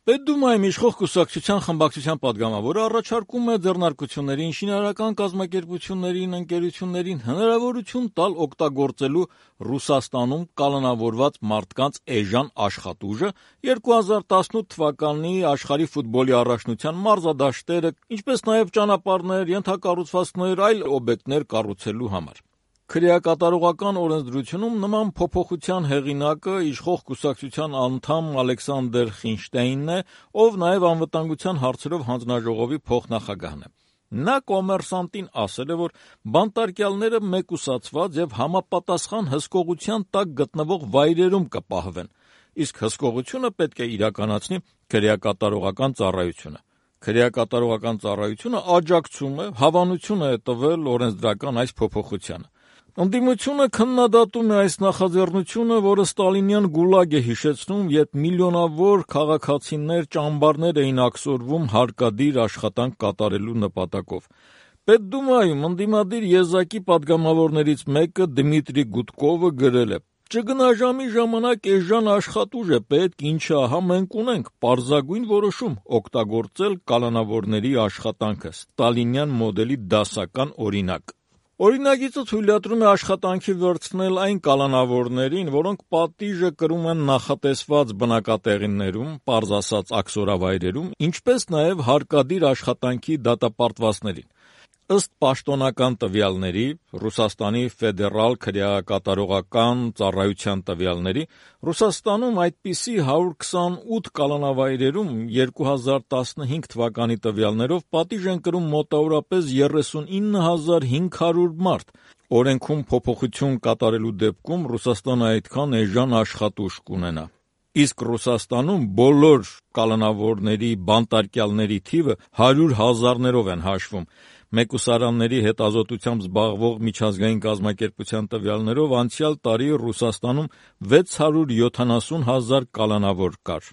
Պետդումայում իշխող կուսակցության խմբակցության պատգամավորը առաջարկում է ձեռնարկություններին, շինարարական կազմակերպություններին, ընկերություններին հնարավորություն տալ օգտագործելու Ռուսաստանում կալանավորված մարդկանց էժան աշխատուժը 2018 թվականի աշխարհի ֆուտբոլի առաջնության մարզադաշտերը, ինչպես նաև ճանապարհներ, ենթակառուցվածքներ, այլ օբյեկտներ կառուցելու համար։ Քրեակատարողական օրենսդրությունում նման փոփոխության հեղինակը իշխող կուսակցության անդամ Ալեքսանդր Խինշտեյնն է, ով նաև անվտանգության հարցերով հանձնաժողովի փոխնախագահն է։ Նա Կոմերսանտին ասել է, որ բանտարկյալները մեկուսացված եւ համապատասխան հսկողության տակ գտնվող վայրերում կպահվեն, իսկ հսկողությունը պետք է իրականացնի քրեակատարողական ծառայությունը։ Քրեակատարողական ծառայությունը աջակցում է, հավանություն է տվել օրենսդրական այս փոփոխությանը։ Ընդդիմությունը քննադատում է այս նախաձեռնությունը, որը ստալինյան գուլագ է հիշեցնում, երբ միլիոնավոր քաղաքացիներ ճամբարներ էին աքսորվում հարկադիր աշխատանք կատարելու նպատակով։ Պետդումայում ընդդիմադիր եզակի պատգամավորներից մեկը Դմիտրի Գուդկովը գրել է. «Ճգնաժամի ժամանակ էժան աշխատուժ է պետք, ինչը ահա մենք ունենք, պարզագույն որոշում օգտագործել կալանավորների աշխատանքը, ստալինյան մոդելի դասական օրինակ»։ Օրինագիծը թույլատրում է աշխատանքի վերցնել այն կալանավորներին, որոնք պատիժը կրում են նախատեսված բնակատեղիներում, պարզ ասած աքսորավայրերում, ինչպես նաև հարկադիր աշխատանքի դատապարտվածներին։ Ըստ պաշտոնական տվյալների, Ռուսաստանի ֆեդերալ քրեակատարողական ծառայության տվյալների, Ռուսաստանում այդպիսի 128 կալանավայրերում 2015 թվականի տվյալներով պատիժ են կրում մոտավորապես 39,500 մարդ։ Օրենքում փոփոխություն կատարելու դեպքում Ռուսաստանը այդքան էժան աշխատուժ կունենա։ Իսկ Ռուսաստանում բոլոր կալանավորների, բանտարկյալների թիվը 100,000-ներով են հաշվում։ Մեկուսարանների հետազոտությամբ զբաղվող միջազգային կազմակերպության տվյալներով անցյալ տարի Ռուսաստանում 670,000 կալանավոր կար։